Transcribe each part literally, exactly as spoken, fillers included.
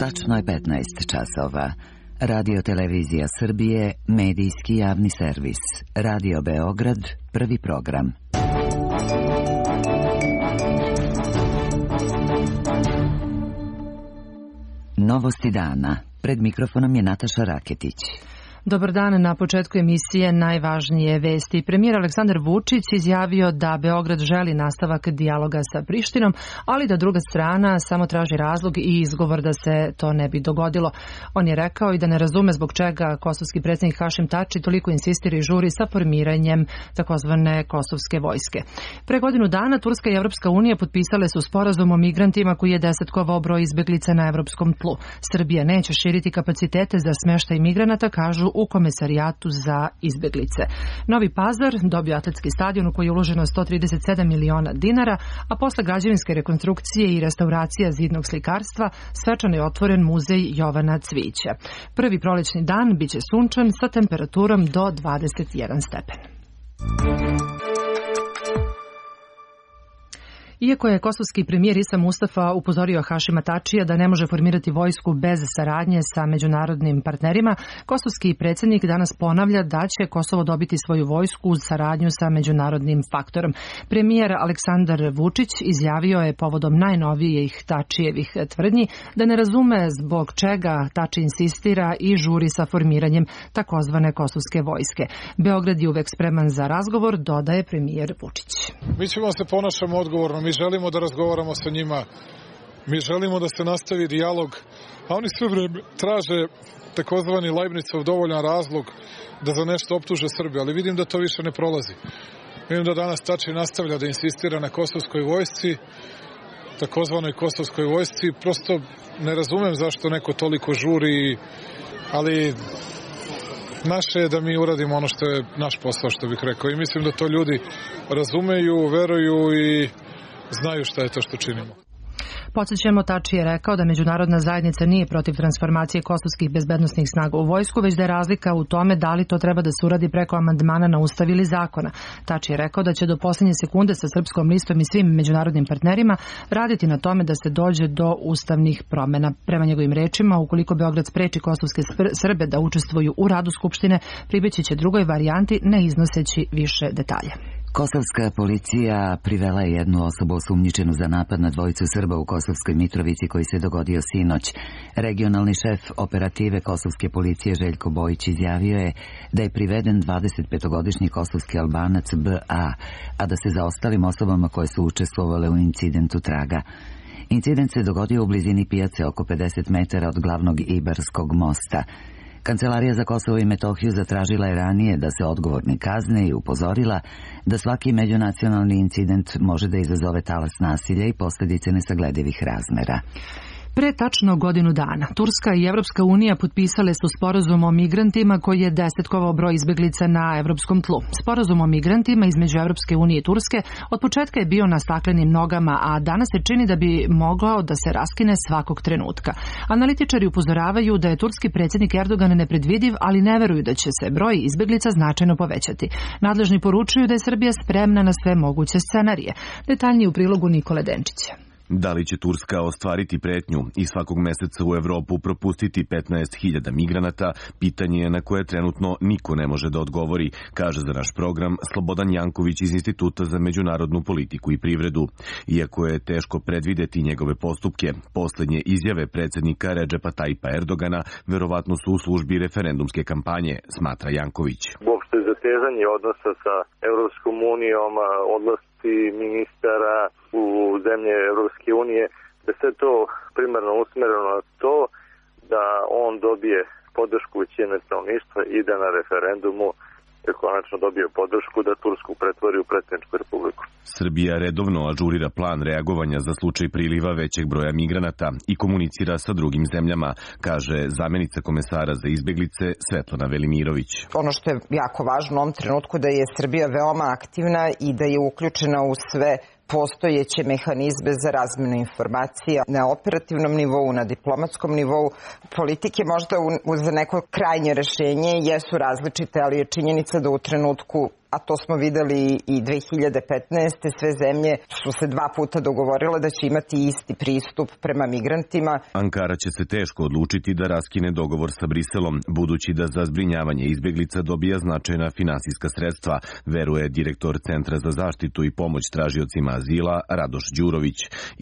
Tačno je petnaest časova. Radio Televizija Srbije, medijski javni servis. Radio Beograd, prvi program. Novosti dana. Pred mikrofonom je Nataša Raketić. Dobar dan, na početku emisije najvažnije vesti. Premijer Aleksandar Vučić izjavio da Beograd želi nastavak dijaloga sa Prištinom, ali da druga strana samo traži razlog i izgovor da se to ne bi dogodilo. On je rekao i da ne razume zbog čega kosovski predsjednik Hašim Tači toliko insistira i žuri sa formiranjem takozvane kosovske vojske. Pre godinu dana Turska i Evropska unija potpisale su sporazum o migrantima koji je desetkovao broj izbeglica na evropskom tlu. Srbija neće širiti kapacitete za smještaj migranata, kažu u Komesarijatu za izbeglice. Novi Pazar dobio atletski stadion u koji je uloženo sto trideset sedam miliona dinara, a posle građevinske rekonstrukcije i restauracija zidnog slikarstva svečano je otvoren muzej Jovana Cvijića. Prvi prolećni dan biće sunčan sa temperaturom do dvadeset jedan stepen. Iako je kosovski premijer Isa Mustafa upozorio Hašima Tačija da ne može formirati vojsku bez saradnje sa međunarodnim partnerima, kosovski predsjednik danas ponavlja da će Kosovo dobiti svoju vojsku uz saradnju sa međunarodnim faktorom. Premijer Aleksandar Vučić izjavio je povodom najnovijih Tačijevih tvrdnji da ne razume zbog čega Tači insistira i žuri sa formiranjem takozvane kosovske vojske. Beograd je uvek spreman za razgovor, dodaje premijer Vučić. Mi ćemo se ponašamo odgovorno. Mi želimo da razgovaramo sa njima, mi želimo da se nastavi dijalog, a oni sve vreme traže takozvani Leibnicov dovoljan razlog da za nešto optuže Srbiju, ali vidim da to više ne prolazi. Vidim da danas Tači nastavlja da insistira na kosovskoj vojsci, takozvanoj kosovskoj vojsci, prosto ne razumem zašto neko toliko žuri, ali naše je da mi uradimo ono što je naš posao, što bih rekao, i mislim da to ljudi razumeju, veruju i znaju šta je to što činimo. Podsjećamo, Tači je rekao da međunarodna zajednica nije protiv transformacije kosovskih bezbednosnih snaga u vojsku, već da je razlika u tome da li to treba da se uradi preko amandmana na ustav ili zakona. Tači je rekao da će do posljednje sekunde sa Srpskom listom i svim međunarodnim partnerima raditi na tome da se dođe do ustavnih promjena. Prema njegovim rečima, ukoliko Beograd spreči kosovske Srbe da učestvuju u radu Skupštine, pribeći će drugoj varijanti, ne iznoseći više detalja. Kosovska policija privela je jednu osobu osumnjičenu za napad na dvojicu Srba u Kosovskoj Mitrovici koji se dogodio sinoć. Regionalni šef operative Kosovske policije Željko Bojić izjavio je da je priveden dvadesetpetogodišnji kosovski Albanac B A, a da se za ostalim osobama koje su učestvovale u incidentu traga. Incident se dogodio u blizini pijace oko pedeset metara od glavnog Ibarskog mosta. Kancelarija za Kosovo i Metohiju zatražila je ranije da se odgovorni kazne i upozorila da svaki međunacionalni incident može da izazove talas nasilja i posljedice nesagledivih razmera. Pre tačno godinu dana, Turska i Evropska unija potpisale su sporazum o migrantima koji je desetkovao broj izbeglica na evropskom tlu. Sporazum o migrantima između Evropske unije i Turske od početka je bio na staklenim nogama, a danas se čini da bi mogao da se raskine svakog trenutka. Analitičari upozoravaju da je turski predsjednik Erdogan nepredvidiv, ali ne veruju da će se broj izbeglica značajno povećati. Nadležni poručuju da je Srbija spremna na sve moguće scenarije. Detaljnije u prilogu Nikole Denčića. Da li će Turska ostvariti pretnju i svakog meseca u Evropu propustiti petnaest hiljada migranata, pitanje je na koje trenutno niko ne može da odgovori, kaže za naš program Slobodan Janković iz Instituta za međunarodnu politiku i privredu. Iako je teško predvideti njegove postupke, posljednje izjave predsjednika Redžepa Tajpa Erdogana verovatno su u službi referendumske kampanje, smatra Janković. Uopšte zatezanje odnosa sa Evropskom unijom, odlasci ministara u zemlje Evropske unije, da sve to primarno usmereno na to da on dobije podršku većine stanovništva i da na referendumu je konačno dobio podršku da Tursku pretvori u predsjedničku republiku. Srbija redovno ažurira plan reagovanja za slučaj priliva većeg broja migranata i komunicira sa drugim zemljama, kaže zamenica komesara za izbeglice Svetlana Velimirović. Ono što je jako važno u ovom trenutku da je Srbija veoma aktivna i da je uključena u sve postojeće mehanizme za razmjenu informacija na operativnom nivou, na diplomatskom nivou. Politike možda za neko krajnje rešenje jesu različite, ali je činjenica da u trenutku a to smo videli i dve hiljade petnaeste. Sve zemlje su se dva puta dogovorile da će imati isti pristup prema migrantima. Ankara će se teško odlučiti da raskine dogovor sa Briselom, budući da za zbrinjavanje izbeglica dobija značajna finansijska sredstva, veruje direktor Centra za zaštitu i pomoć tražiocima azila Radoš Đurović.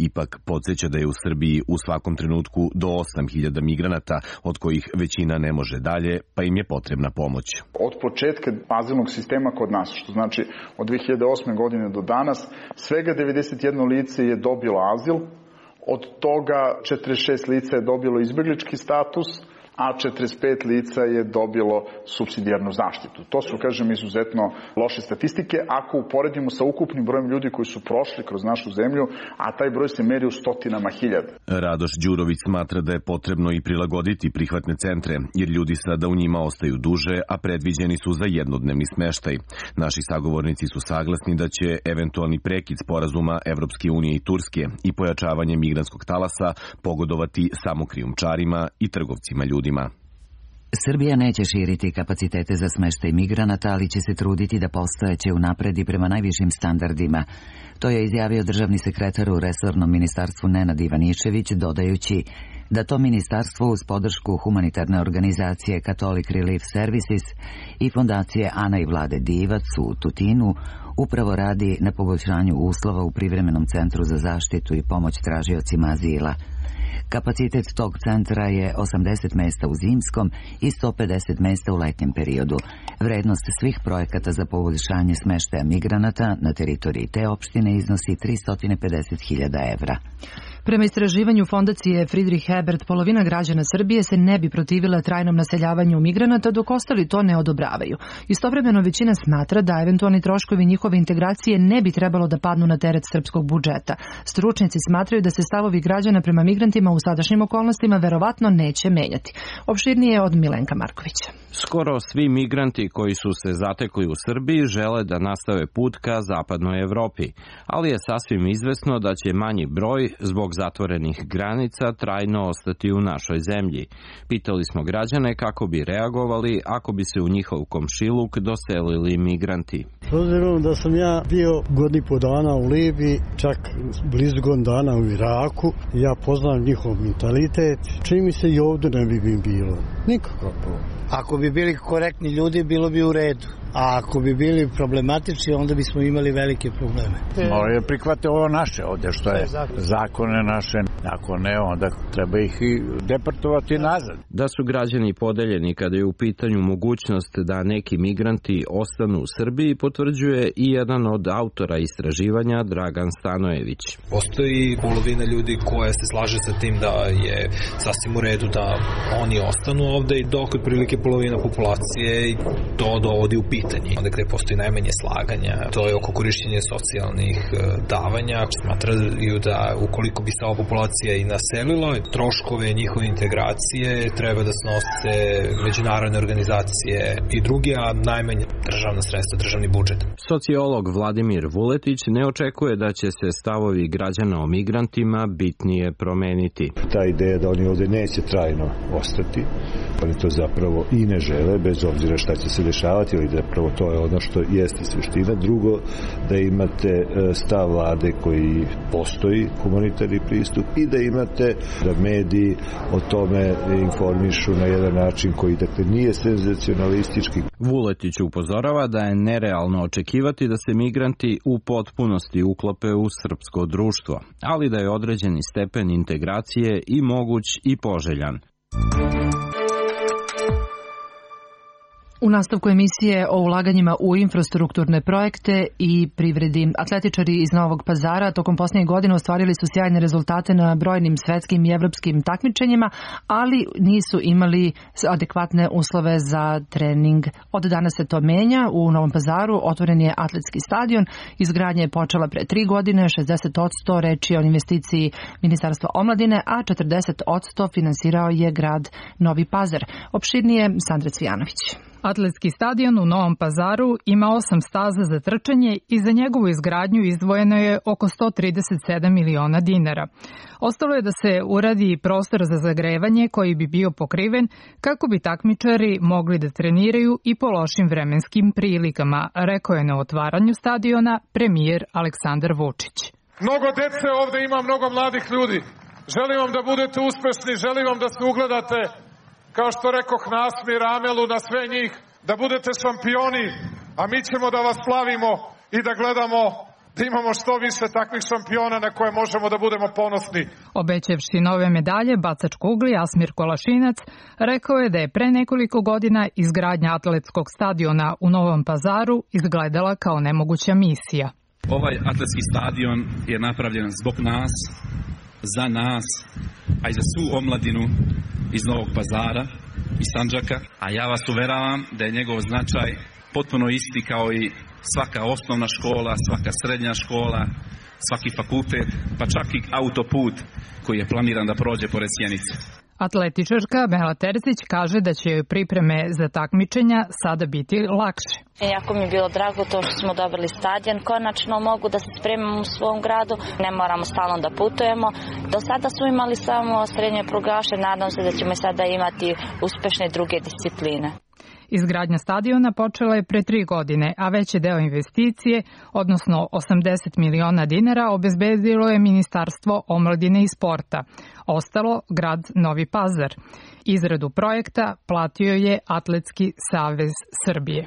Ipak podsjeća da je u Srbiji u svakom trenutku do osam hiljada migranata, od kojih većina ne može dalje, pa im je potrebna pomoć. Od početka azilnog sistema kod nas, što znači od dve hiljade osme. godine do danas, svega devedeset jedno lice je dobilo azil, od toga četrdeset šest lica je dobilo izbeglički status, a četrdeset pet lica je dobilo supsidijarnu zaštitu. To su, kažem, izuzetno loše statistike ako uporedimo sa ukupnim brojem ljudi koji su prošli kroz našu zemlju, a taj broj se meri u stotinama hiljada. Radoš Đurović smatra da je potrebno i prilagoditi prihvatne centre, jer ljudi sada u njima ostaju duže, a predviđeni su za jednodnevni smeštaj. Naši sagovornici su saglasni da će eventualni prekid sporazuma Evropske unije i Turske i pojačavanje migrantskog talasa pogodovati samo krijumčarima i trgovcima ljudi. Srbija neće širiti kapacitete za smeštaj migranata, ali će se truditi da postojeće unapredi prema najvišim standardima. To je izjavio državni sekretar u resornom ministarstvu Nenad Ivanišević, dodajući da to ministarstvo uz podršku humanitarne organizacije Catholic Relief Services i fondacije Ana i Vlade Divac u Tutinu upravo radi na poboljšanju uslova u privremenom centru za zaštitu i pomoć tražiocima azila. Kapacitet tog centra je osamdeset mesta u zimskom i sto pedeset mesta u letnjem periodu. Vrednost svih projekata za poboljšanje smeštaja migranata na teritoriji te opštine iznosi tristo pedeset hiljada evra. Prema istraživanju fondacije Friedrich Ebert, polovina građana Srbije se ne bi protivila trajnom naseljavanju migranata, dok ostali to ne odobravaju. Istovremeno većina smatra da eventualni troškovi njihove integracije ne bi trebalo da padnu na teret srpskog budžeta. Stručnjaci smatraju da se stavovi građana prema migrantima u sadašnjim okolnostima verovatno neće menjati. Opširnije od Milenka Markovića. Skoro svi migranti koji su se zatekli u Srbiji žele da nastave put ka zapadnoj Evropi, ali je sasvim izvesno da će manji broj zbog zatvorenih granica trajno ostati u našoj zemlji. Pitali smo građane kako bi reagovali ako bi se u njihov komšiluk doselili migranti. S obzirom da sam ja bio godinu i po dana u Libiji, čak blizu godinu dana u Iraku, ja poznam njihov mentalitet, čini mi se i ovdje ne bi mi bilo. Nikakav problem. Ako bi bili korektni ljudi, bilo bi u redu. A ako bi bili problematični, onda bismo imali velike probleme. Moraju prihvate ovo naše ovdje, što je zakone naše. Ako ne, onda treba ih i deportovati nazad. Da su građani podeljeni kada je u pitanju mogućnost da neki migranti ostanu u Srbiji, potvrđuje i jedan od autora istraživanja, Dragan Stanojević. Postoji polovina ljudi koja se slaže sa tim da je sasvim u redu da oni ostanu ovde, i dok otprilike polovina populacije to dovodi u pitanje. Onda gde postoji najmanje slaganja, to je oko korišćenja socijalnih davanja. Smatraju da ukoliko bi se ova populacija i naselila, troškove njihove integracije treba da snose međunarodne organizacije i drugi, a najmanje državna sredstva, državni budžet. Sociolog Vladimir Vuletić ne očekuje da će se stavovi građana o migrantima bitnije promeniti. Ta ideja da oni ovde neće trajno ostati, oni to zapravo i ne žele, bez obzira šta će se dešavati, ali zapravo to je ono što jeste suština. Drugo, da imate stav vlade koji postoji, humanitarni pristup, i da imate da mediji o tome informišu na jedan način koji, dakle, nije senzacionalistički. Vuletić upozorava da je nerealno očekivati da se migranti u potpunosti uklope u srpsko društvo, ali da je određeni stepen integracije i moguć i poželjan. U nastavku emisije o ulaganjima u infrastrukturne projekte i privredi. Atletičari iz Novog Pazara tokom posljednjih godina ostvarili su sjajne rezultate na brojnim svetskim i evropskim takmičenjima, ali nisu imali adekvatne uslove za trening. Od danas se to menja. U Novom Pazaru otvoren je atletski stadion. Izgradnja je počela pre tri godine, šezdeset posto reč je o investiciji Ministarstva omladine, a četrdeset posto finansirao je grad Novi Pazar. Opširnije Sandra Cvijanović. Atletski stadion u Novom Pazaru ima osam staza za trčanje i za njegovu izgradnju izdvojeno je oko sto trideset sedam miliona dinara. Ostalo je da se uradi prostor za zagrevanje koji bi bio pokriven kako bi takmičari mogli da treniraju i po lošim vremenskim prilikama, rekao je na otvaranju stadiona premijer Aleksandar Vučić. Mnogo dece ovde ima, mnogo mladih ljudi. Želim vam da budete uspešni, želim vam da se ugledate, kao što rekoh, na Asmir Amelu, na sve njih, da budete šampioni, a mi ćemo da vas slavimo i da gledamo da imamo što više takvih šampiona na koje možemo da budemo ponosni. Obećavši nove medalje, bacač kugli Asmir Kolašinac rekao je da je pre nekoliko godina izgradnja atletskog stadiona u Novom Pazaru izgledala kao nemoguća misija. Ovaj atletski stadion je napravljen zbog nas, za nas, a i za svu omladinu iz Novog Pazara i Sandžaka, a ja vas uveravam da je njegov značaj potpuno isti kao i svaka osnovna škola, svaka srednja škola, svaki fakultet, pa čak i autoput koji je planiran da prođe pored Sjenice. Atletičarka Mela Terzić kaže da će joj pripreme za takmičenja sada biti lakše. Jako mi je bilo drago to što smo dobili stadion, konačno mogu da se spremam u svom gradu, ne moramo stalno da putujemo. Do sada smo imali samo srednje prugaše, nadam se da ćemo sada imati uspešne druge discipline. Izgradnja stadiona počela je pre tri godine, a veći deo investicije, odnosno osamdeset miliona dinara, obezbedilo je Ministarstvo omladine i sporta. Ostalo grad Novi Pazar. Izradu projekta platio je Atletski savez Srbije.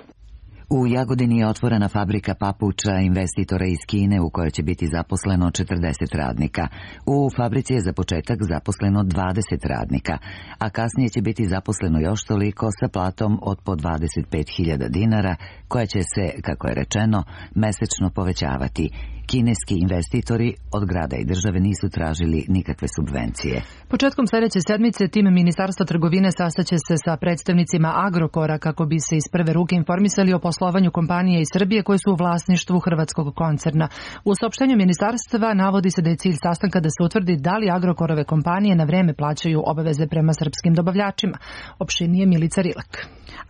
U Jagodini je otvorena fabrika papuča investitora iz Kine u kojoj će biti zaposleno četrdeset radnika. U fabrici je za početak zaposleno dvadeset radnika, a kasnije će biti zaposleno još toliko sa platom od po dvadeset pet hiljada dinara, koja će se, kako je rečeno, mesečno povećavati. Kineski investitori od grada i države nisu tražili nikakve subvencije. Početkom sljedeće sedmice tim Ministarstva trgovine sastaće se sa predstavnicima Agrokora kako bi se iz prve ruke informisali o poslovanju kompanije iz Srbije koje su u vlasništvu hrvatskog koncerna. U saopštenju ministarstva navodi se da je cilj sastanka da se utvrdi da li Agrokorove kompanije na vreme plaćaju obaveze prema srpskim dobavljačima. Opširnije Milica Rilak.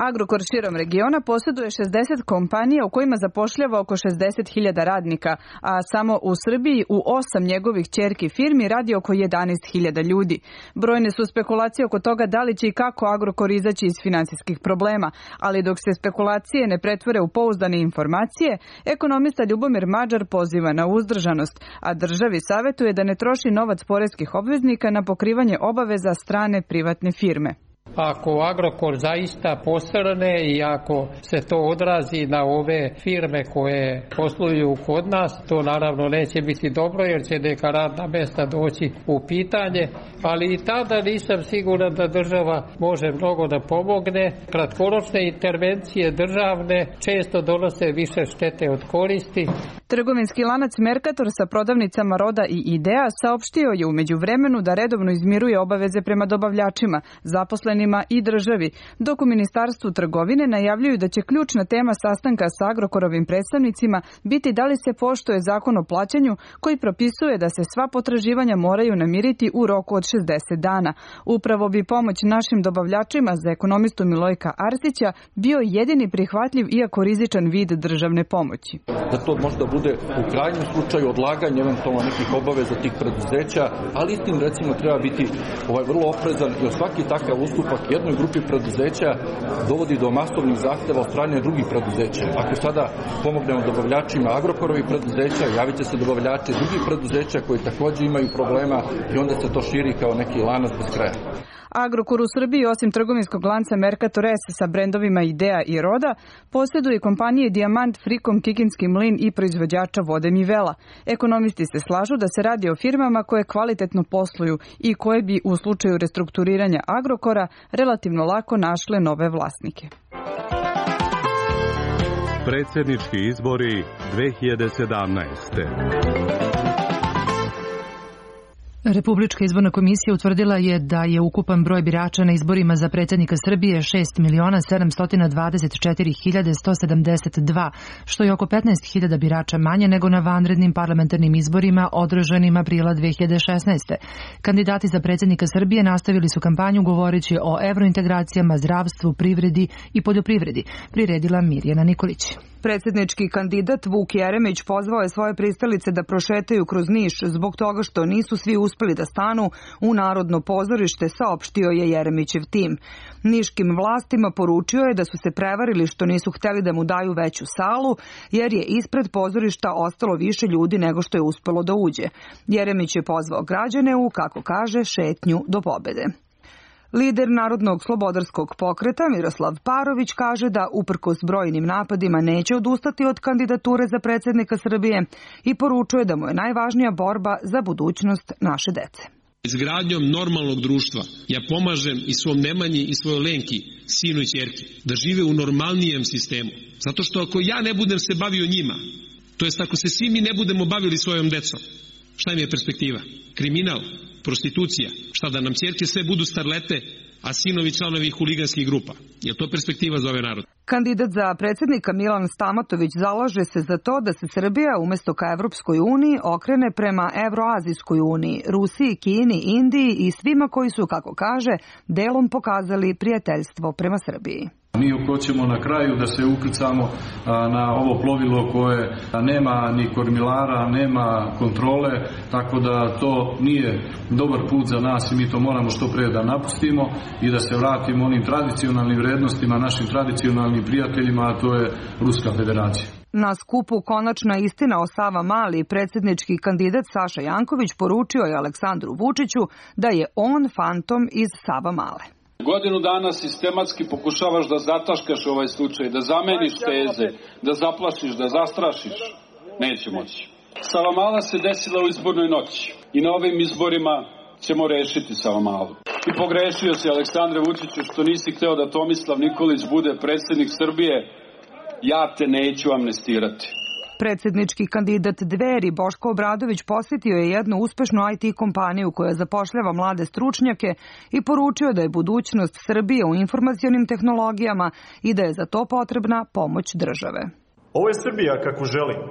Agrokor širom regiona posjeduje šezdeset kompanija u kojima zapošljava oko šezdeset hiljada radnika, a samo u Srbiji u osam njegovih ćerki firmi radi oko jedanaest hiljada ljudi. Brojne su spekulacije oko toga da li će i kako Agrokor izaći iz finansijskih problema, ali dok se spekulacije ne pretvore u pouzdane informacije, ekonomista Ljubomir Mađar poziva na uzdržanost, a državi savjetuje da ne troši novac poreskih obveznika na pokrivanje obaveza strane privatne firme. Ako Agrokor zaista posrne i ako se to odrazi na ove firme koje posluju kod nas, to naravno neće biti dobro jer će neka radna mjesta doći u pitanje, ali i tada nisam siguran da država može mnogo da pomogne. Kratkoročne intervencije državne često donose više štete od koristi. Trgovinski lanac Mercator sa prodavnicama Roda i Idea saopštio je u međuvremenu da redovno izmiruje obaveze prema dobavljačima, zaposlenima i državi, dok u Ministarstvu trgovine najavljuju da će ključna tema sastanka sa Agrokorovim predstavnicima biti da li se poštuje zakon o plaćanju koji propisuje da se sva potraživanja moraju namiriti u roku od šezdeset dana. Upravo bi pomoć našim dobavljačima za ekonomistu Milojka Arsića bio jedini prihvatljiv iako rizičan vid državne pomoći. Da to možda bude u krajnjem slučaju odlaganje eventualno nekih obaveza tih preduzeća, ali istim recimo treba biti ovaj vrlo oprezan jer svaki takav ustupak jednoj grupi preduzeća dovodi do masovnih zahteva od strane drugih preduzeća. Ako sada pomognemo dobavljačima Agrokorovih preduzeća, javit će se dobavljači drugih preduzeća koji također imaju problema i onda se to širi kao neki lanac bez kraja. Agrokor u Srbiji, osim trgovinskog lanca Mercator S sa brendovima Idea i Roda, posjeduje kompanije Dijamant, Frikom, Kikinski mlin i proizvođača vode Mivela. Ekonomisti se slažu da se radi o firmama koje kvalitetno posluju i koje bi u slučaju restrukturiranja Agrokora relativno lako našle nove vlasnike. Predsjednički izbori dve hiljade sedamnaeste. Republička izborna komisija utvrdila je da je ukupan broj birača na izborima za predsjednika Srbije šest miliona sedamsto dvadeset četiri hiljade sto sedamdeset dva, što je oko petnaest hiljada birača manje nego na vanrednim parlamentarnim izborima održanim aprila dve hiljade šesnaeste. Kandidati za predsjednika Srbije nastavili su kampanju govoreći o evrointegracijama, zdravstvu, privredi i poljoprivredi, priredila Mirjana Nikolić. Predsjednički kandidat Vuk Jeremić pozvao je svoje pristalice da prošetaju kroz Niš zbog toga što nisu svi uspeli da stanu u Narodno pozorište, saopštio je Jeremićev tim. Niškim vlastima poručio je da su se prevarili što nisu hteli da mu daju veću salu, jer je ispred pozorišta ostalo više ljudi nego što je uspelo da uđe. Jeremić je pozvao građane u, kako kaže, šetnju do pobede. Lider Narodnog slobodarskog pokreta Miroslav Parović kaže da uprkos brojnim napadima neće odustati od kandidature za predsjednika Srbije i poručuje da mu je najvažnija borba za budućnost naše dece. Izgradnjom normalnog društva ja pomažem i svom Nemanji i svojoj Lenki, sinu i ćerki, da žive u normalnijem sistemu. Zato što ako ja ne budem se bavio njima, to jest ako se svi mi ne budemo bavili svojom decom, šta im je perspektiva? Kriminal, prostitucija, šta da nam ćerke sve budu starlete, a sinovi članovi huliganskih grupa. Je li to perspektiva za ovaj narod? Kandidat za predsjednika Milan Stamatović zalaže se za to da se Srbija umjesto ka Evropskoj uniji okrene prema Evroazijskoj uniji, Rusiji, Kini, Indiji i svima koji su, kako kaže, delom pokazali prijateljstvo prema Srbiji. Mi hoćemo na kraju da se ukrcamo na ovo plovilo koje nema ni kormilara, nema kontrole, tako da to nije dobar put za nas i mi to moramo što pre da napustimo i da se vratimo onim tradicionalnim vrednostima, našim tradicionalnim prijateljima, a to je Ruska federacija. Na skupu Konačna istina o Savamali predsjednički kandidat Saša Janković poručio je Aleksandru Vučiću da je on fantom iz Savamale. Godinu dana sistematski pokušavaš da zataškaš ovaj slučaj, da zameniš teze, da zaplašiš, da zastrašiš. Neće moći. Savamala se desila u izbornoj noći i na ovim izborima ćemo rešiti Savamalu. I pogrešio si, Aleksandre Vučiću, što nisi hteo da Tomislav Nikolić bude predsjednik Srbije. Ja te neću amnestirati. Predsjednički kandidat Dveri Boško Obradović posjetio je jednu uspešnu I T kompaniju koja zapošljava mlade stručnjake i poručio da je budućnost Srbije u informacionim tehnologijama i da je za to potrebna pomoć države. Ovo je Srbija kako želim.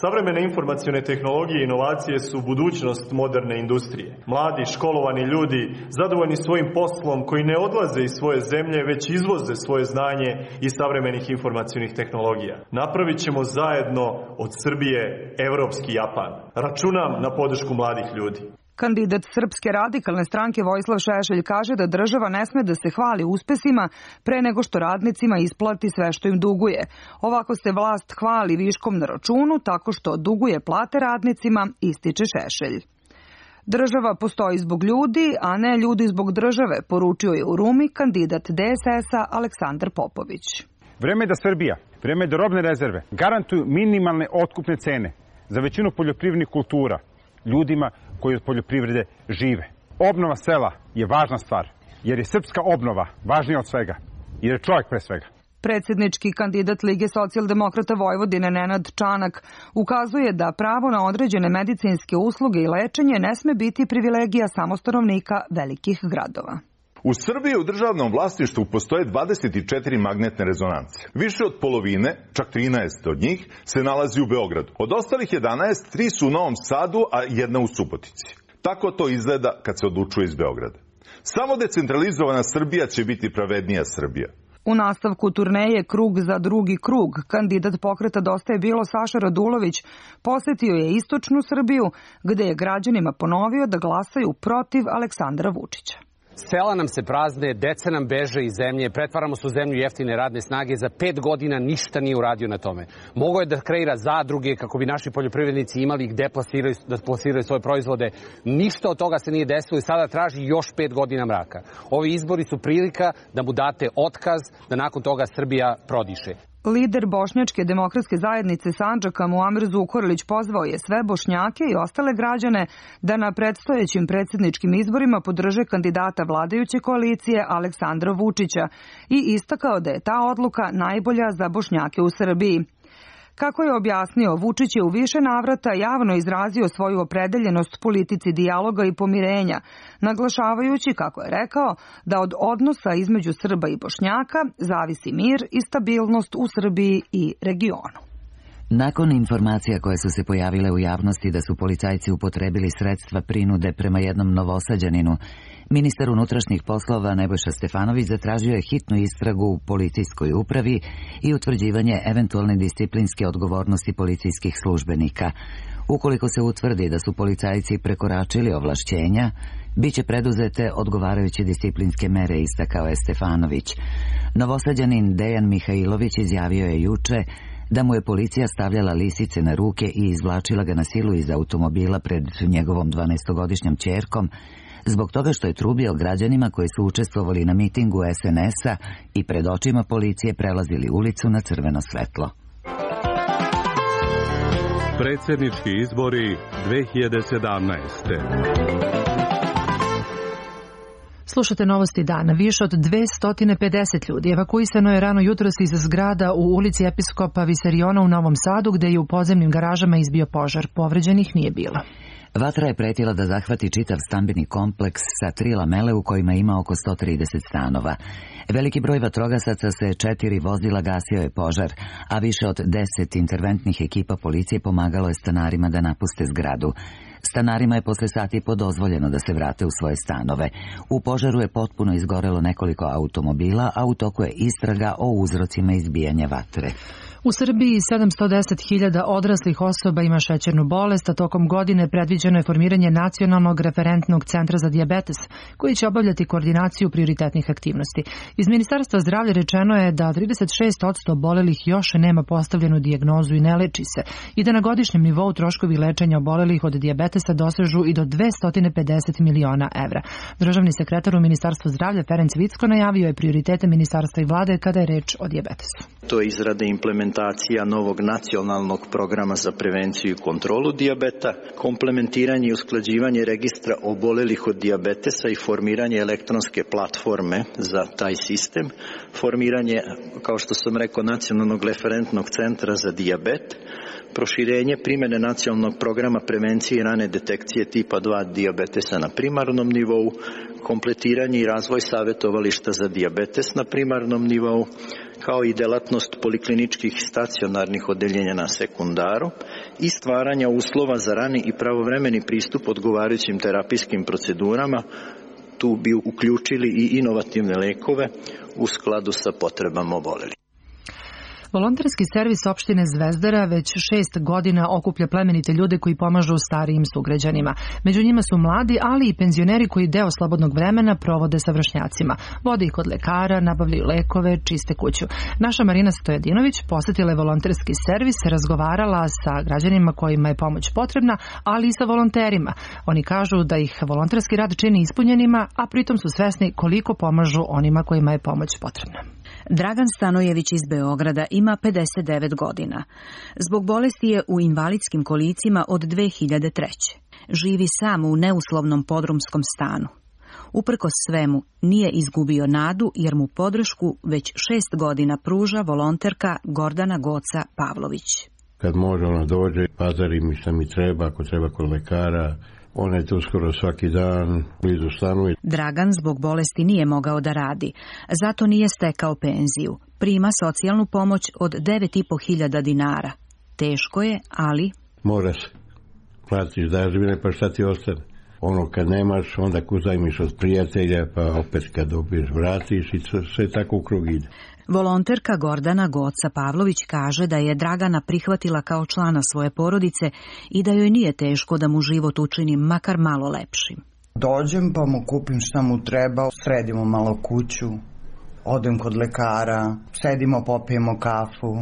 Savremene informacione tehnologije i inovacije su budućnost moderne industrije. Mladi, školovani ljudi, zadovoljni svojim poslom koji ne odlaze iz svoje zemlje, već izvoze svoje znanje iz savremenih informacionih tehnologija. Napravit ćemo zajedno od Srbije evropski Japan. Računam na podršku mladih ljudi. Kandidat Srpske radikalne stranke Vojislav Šešelj kaže da država ne sme da se hvali uspesima pre nego što radnicima isplati sve što im duguje. Ovako se vlast hvali viškom na računu tako što duguje plate radnicima, ističe Šešelj. Država postoji zbog ljudi, a ne ljudi zbog države, poručio je u Rumi kandidat D S S-a Aleksandar Popović. Vreme je da Srbija, vreme je da robne rezerve garantuju minimalne otkupne cene za većinu poljoprivrednih kultura ljudima koji od poljoprivrede žive. Obnova sela je važna stvar, jer je srpska obnova važnija od svega, jer je čovjek pre svega. Predsjednički kandidat Lige socijaldemokrata Vojvodine Nenad Čanak ukazuje da pravo na određene medicinske usluge i lečenje ne sme biti privilegija samo stanovnika velikih gradova. U Srbiji u državnom vlasništvu postoje dvadeset četiri magnetne rezonance. Više od polovine, čak trinaest od njih, se nalazi u Beogradu. Od ostalih jedanaest, tri su u Novom Sadu, a jedna u Subotici. Tako to izgleda kad se odlučuje iz Beograda. Samo decentralizovana Srbija će biti pravednija Srbija. U nastavku turneje Krug za drugi krug, kandidat pokreta Dosta je bilo Saša Radulović posjetio je istočnu Srbiju, gde je građanima ponovio da glasaju protiv Aleksandra Vučića. Sela nam se prazne, deca nam beže iz zemlje, pretvaramo se u zemlju jeftine radne snage, za pet godina ništa nije uradio na tome. Mogao je da kreira zadruge kako bi naši poljoprivrednici imali gde plasiraju, da plasiraju svoje proizvode. Ništa od toga se nije desilo i sada traži još pet godina mraka. Ovi izbori su prilika da mu date otkaz, da nakon toga Srbija prodiše. Lider Bošnjačke demokratske zajednice Sandžaka Muamer Zukorlić pozvao je sve Bošnjake i ostale građane da na predstojećim predsjedničkim izborima podrže kandidata vladajuće koalicije Aleksandra Vučića i istakao da je ta odluka najbolja za Bošnjake u Srbiji. Kako je objasnio, Vučić je u više navrata javno izrazio svoju opredeljenost politici dijaloga i pomirenja, naglašavajući, kako je rekao, da od odnosa između Srba i Bošnjaka zavisi mir i stabilnost u Srbiji i regionu. Nakon informacija koje su se pojavile u javnosti da su policajci upotrebili sredstva prinude prema jednom Novosađaninu, ministar unutrašnjih poslova Nebojša Stefanović zatražio je hitnu istragu u policijskoj upravi i utvrđivanje eventualne disciplinske odgovornosti policijskih službenika. Ukoliko se utvrdi da su policajci prekoračili ovlašćenja, biće preduzete odgovarajuće disciplinske mere, istakao je Stefanović. Novosađanin Dejan Mihajlović izjavio je juče da mu je policija stavljala lisice na ruke i izvlačila ga na silu iz automobila pred njegovom dvanaestogodišnjom ćerkom, zbog toga što je trubio građanima koji su učestvovali na mitingu es en es-a i pred očima policije prelazili ulicu na crveno svetlo. Predsjednički izbori dve hiljade sedamnaeste. Slušate novosti dana. Više od dvesta pedeset ljudi evakuisano je rano jutros iz zgrada u ulici Episkopa Visariona u Novom Sadu, gde je u podzemnim garažama izbio požar. Povređenih nije bilo. Vatra je pretila da zahvati čitav stambeni kompleks sa tri lamele u kojima ima oko sto trideset stanova. Veliki broj vatrogasaca se četiri vozila gasio je požar, a više od deset interventnih ekipa policije pomagalo je stanarima da napuste zgradu. Stanarima je posle sati i po dozvoljeno da se vrate u svoje stanove. U požaru je potpuno izgorelo nekoliko automobila, a u toku je istraga o uzrocima izbijanja vatre. U Srbiji sedamsto deset hiljada odraslih osoba ima šećernu bolest, a tokom godine predviđeno je formiranje Nacionalnog referentnog centra za dijabetes, koji će obavljati koordinaciju prioritetnih aktivnosti. Iz Ministarstva zdravlja rečeno je da trideset šest posto obolelih još nema postavljenu dijagnozu i ne leči se, i da na godišnjem nivou troškovi lečenja obolelih od dijabetesa dosežu i do dvesta pedeset miliona evra. Državni sekretar u Ministarstvu zdravlja Ferenc Vicko najavio je prioritete ministarstva i vlade kada je reč o dijabetesu. To je izrada implementacija novog nacionalnog programa za prevenciju i kontrolu dijabeta, komplementiranje i usklađivanje registra obolelih od dijabetesa i formiranje elektronske platforme za taj sistem, formiranje, kao što sam rekao, nacionalnog referentnog centra za dijabet, proširenje primene nacionalnog programa prevencije i rane detekcije tipa dva dijabetesa na primarnom nivou, kompletiranje i razvoj savjetovališta za dijabetes na primarnom nivou, kao i delatnost polikliničkih stacionarnih odeljenja na sekundaru i stvaranja uslova za rani i pravovremeni pristup odgovarajućim terapijskim procedurama. Tu bi uključili i inovativne lekove u skladu sa potrebama obolelih. Volonterski servis opštine Zvezdara već šest godina okuplja plemenite ljude koji pomažu starijim sugrađanima. Među njima su mladi, ali i penzioneri koji deo slobodnog vremena provode sa vršnjacima. Vode ih kod lekara, nabavljaju lekove, čiste kuću. Naša Marina Stojadinović posetila je volonterski servis, razgovarala sa građanima kojima je pomoć potrebna, ali i sa volonterima. Oni kažu da ih volonterski rad čini ispunjenima, a pritom su svesni koliko pomažu onima kojima je pomoć potrebna. Dragan Stanojević iz Beograda ima pedeset devet godina. Zbog bolesti je u invalidskim kolicima od dve hiljade treće. Živi sam u neuslovnom podrumskom stanu. Uprkos svemu, nije izgubio nadu jer mu podršku već šest godina pruža volonterka Gordana Goca Pavlović. Kad može ona dođe, pazari mi šta mi treba, ako treba kod lekara, ona je tu skoro svaki dan blizu stanuje. Dragan zbog bolesti nije mogao da radi, zato nije stekao penziju. Prima socijalnu pomoć od devet i po hiljada dinara. Teško je, ali... Mora se. Platiš dažbine, pa šta ti ostane? Ono kad nemaš, onda uzajmiš od prijatelja, pa opet kad dobiješ vratiš i sve tako u krug ide. Volonterka Gordana Goca Pavlović kaže da je Dragana prihvatila kao člana svoje porodice i da joj nije teško da mu život učini makar malo lepšim. Dođem pa mu kupim šta mu treba, sredimo malo kuću, odem kod lekara, sedimo, popijemo kafu,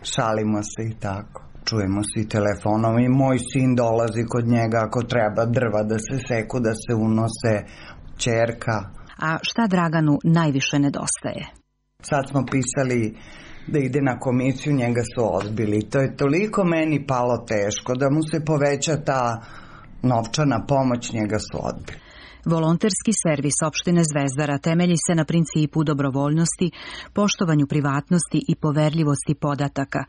šalimo se i tako. Čujemo se i telefonom i moj sin dolazi kod njega ako treba drva da se seku, da se unose, ćerka. A šta Draganu najviše nedostaje? Sad smo pisali da ide na komisiju, njega su odbili. To je toliko meni palo teško da mu se poveća ta novčana pomoć, njega su odbili. Volonterski servis opštine Zvezdara temelji se na principu dobrovoljnosti, poštovanju privatnosti i poverljivosti podataka.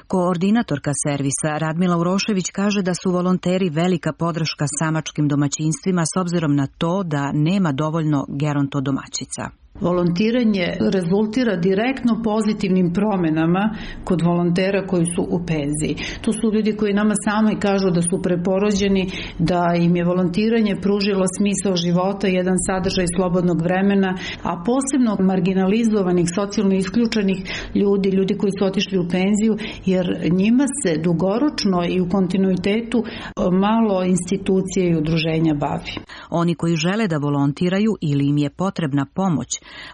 Koordinatorka servisa Radmila Urošević kaže da su volonteri velika podrška samačkim domaćinstvima s obzirom na to da nema dovoljno gerontodomaćica. Volontiranje rezultira direktno pozitivnim promenama kod volontera koji su u penziji. To su ljudi koji nama sami kažu da su preporođeni, da im je volontiranje pružilo smisao života, jedan sadržaj slobodnog vremena, a posebno marginalizovanih, socijalno isključenih ljudi, ljudi koji su otišli u penziju, jer njima se dugoročno i u kontinuitetu malo institucije i udruženja bavi. Oni koji žele da volontiraju ili im je potrebna pomoć,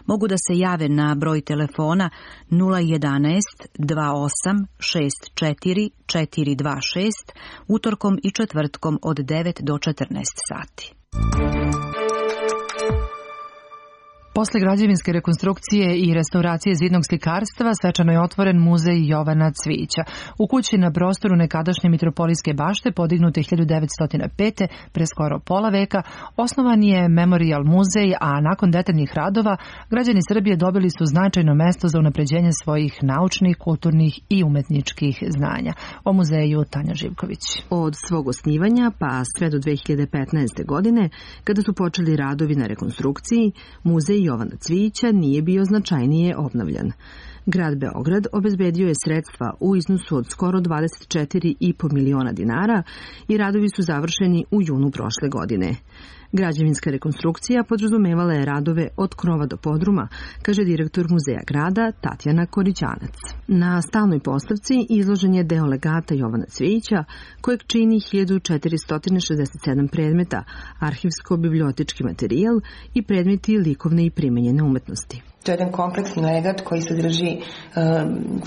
mogu da se jave na broj telefona nula jedanaest dva osam šest četiri četiri dva šest utorkom i četvrtkom od devet do četrnaest sati. Posle građevinske rekonstrukcije i restauracije zidnog slikarstva svečano je otvoren muzej Jovana Cvijića. U kući na prostoru nekadašnje Mitropolijske bašte, podignute hiljadu devetsto pete, pre skoro pola veka, osnovan je Memorial muzej, a nakon detaljnih radova građani Srbije dobili su značajno mesto za unapređenje svojih naučnih, kulturnih i umetničkih znanja. O muzeju Tanja Živković. Od svog osnivanja pa sve do dve hiljade petnaeste. godine, kada su počeli radovi na rekonstrukciji, muzej Jovana Cvijića nije bio značajnije obnavljan. Grad Beograd obezbedio je sredstva u iznosu od skoro dvadeset četiri i po miliona dinara i radovi su završeni u junu prošle godine. Građevinska rekonstrukcija podrazumevala je radove od krova do podruma, kaže direktor muzeja grada Tatjana Korićanac. Na stalnoj postavci izložen je deo legata Jovana Cvijića, kojeg čini hiljadu četiristo šezdeset sedam predmeta, arhivsko-bibliotički materijal i predmeti likovne i primenjene umetnosti. To je jedan kompleksni legat koji sadrži e,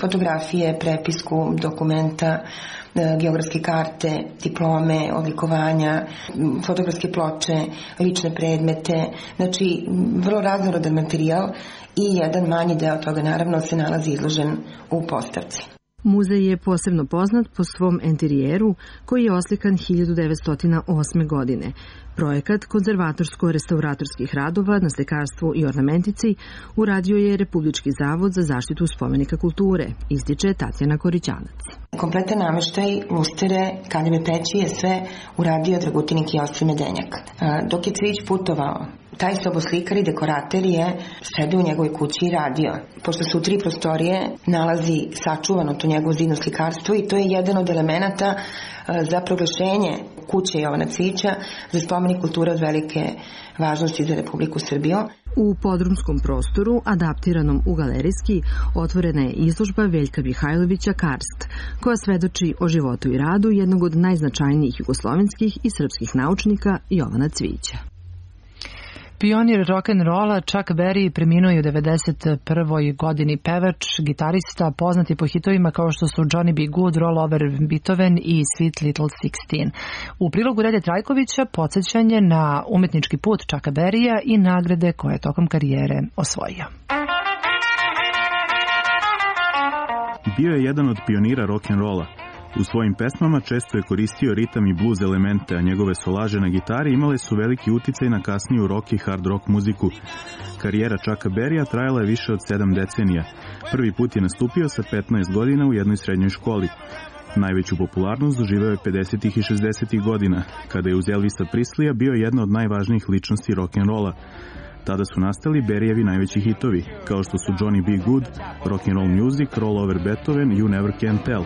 fotografije, prepisku, dokumenta, e, geografske karte, diplome, odlikovanja, fotografske ploče, lične predmete, znači vrlo raznorodan materijal i jedan manji deo toga naravno se nalazi izložen u postavci. Muzej je posebno poznat po svom enterijeru koji je oslikan hiljadu devetsto osme. godine. Projekat konzervatorsko-restauratorskih radova na slikarstvu i ornamentici uradio je Republički zavod za zaštitu spomenika kulture, ističe Tatjana Korićanac. Kompletan nameštaj, lustere, kaljeve peći je sve uradio Dragutin Kijosif Medenjak. Dok je Cvijić putovao, taj soboslikar i dekorater je sede u njegovoj kući i radio. Pošto su tri prostorije, nalazi sačuvano to njegovo zidno slikarstvo i to je jedan od elemenata za proglašenje kuće Jovana Cvijića za spomenik kulture od velike važnosti za Republiku Srbiju. U podrumskom prostoru, adaptiranom u galerijski, otvorena je izložba Veljka Mihajlovića Karst, koja svedoči o životu i radu jednog od najznačajnijih jugoslovenskih i srpskih naučnika Jovana Cvijića. Pionir rock'n'rolla Chuck Berry preminuo je u devedeset prvoj. godini, pevač, gitarista, poznati po hitovima kao što su Johnny B. Good, Roll Over Beethoven i Sweet Little Sixteen. U prilogu Rede Trajkovića podsjećanje na umetnički put Chucka Berrya i nagrade koje je tokom karijere osvojio. Bio je jedan od pionira rock'n'rolla. U svojim pesmama često je koristio ritam i blues elemente, a njegove solaže na gitari imale su veliki uticaj na kasniju rock i hard rock muziku. Karijera Chucka Berrya trajala je više od sedam decenija. Prvi put je nastupio sa petnaest godina u jednoj srednjoj školi. Najveću popularnost doživeo je pedesetih i šezdesetih godina, kada je uz Elvisa Prisleya bio jedna od najvažnijih ličnosti rock'n'rolla. Tada su nastali Berryevi najveći hitovi, kao što su Johnny B. Good, Rock'n'Roll Music, Roll Over Beethoven, You Never Can Tell.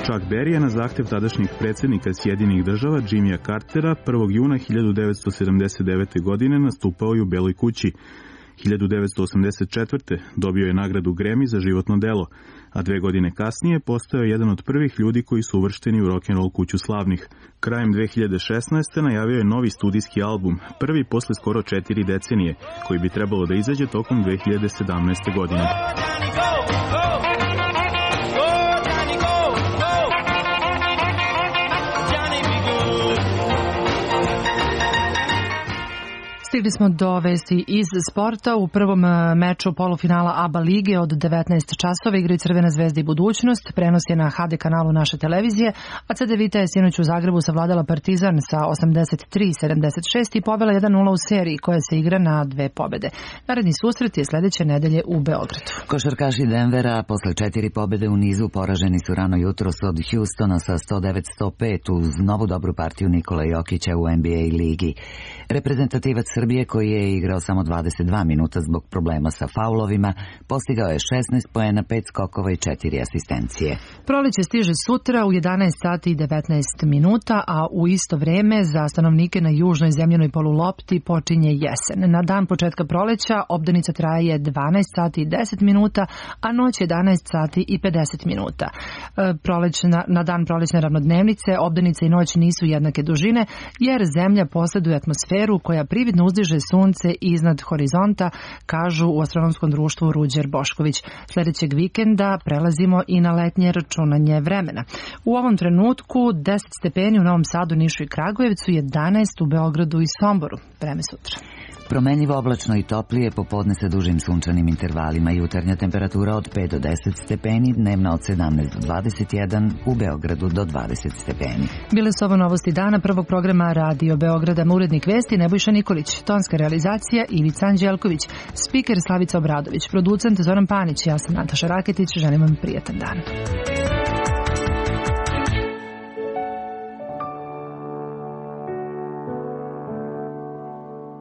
Chuck Berry je na zahtev tadašnjeg predsjednika Sjedinjenih država Jimmya Cartera prvog juna hiljadu devetsto sedamdeset devete. godine nastupao i u Beloj kući. hiljadu devetsto osamdeset četvrte. dobio je nagradu Grammy za životno delo, a dve godine kasnije postao je jedan od prvih ljudi koji su uvršteni u rock'n'roll kuću slavnih. Krajem dve hiljade šesnaeste. najavio je novi studijski album, prvi posle skoro četiri decenije, koji bi trebalo da izađe tokom dve hiljade sedamnaeste. godine. Stigli smo do vesti iz sporta. U prvom meču polufinala A B A lige od devetnaest časova igraju Crvena zvezda i Budućnost. Prenos je na H D kanalu naše televizije, a C D Vita je sinoć u Zagrebu savladala Partizan sa osamdeset tri sedamdeset šest i pobela jedan nula u seriji koja se igra na dve pobede. Naredni susret je sledeće nedelje u Beogradu. Košarkaši Denvera posle četiri pobede u nizu poraženi su rano jutros od Houstona sa sto devet sto pet uz novu dobru partiju Nikola Jokića u N B A ligi. Reprezentativac Srbije, koji je igrao samo dvadeset dva minuta zbog problema sa faulovima, postigao je šesnaest poena, pet skokova i četiri asistencije. Proleće stiže sutra u jedanaest sati i devetnaest minuta, a u isto vreme za stanovnike na južnoj zemljenoj polulopti počinje jesen. Na dan početka proleća obdanica traje dvanaest sati i deset minuta, a noć jedanaest sati i pedeset minuta. Prolećna, na dan prolećne ravnodnevnice obdanica i noć nisu jednake dužine, jer zemlja posjeduje atmosferu koja prividno uzdiže sunce iznad horizonta, kažu u astronomskom društvu Ruđer Bošković. Sljedećeg vikenda prelazimo i na letnje računanje vremena. U ovom trenutku deset stepeni u Novom Sadu, Nišu i Kragujevcu, jedanaest u Beogradu i Somboru. Vreme sutra. Promenljivo oblačno i toplije, popodne sa dužim sunčanim intervalima, jutarnja temperatura od pet do deset stepeni, dnevna od sedamnaest do dvadeset jedan, u Beogradu do dvadeset stepeni. Bile su ovo novosti dana prvog programa Radio Beograda. Urednik vesti Nebojša Nikolić, tonska realizacija Ivica Anđelković, spiker Slavica Obradović, producent Zoran Panić, ja sam Nataša Raketić, želim vam prijatan dan.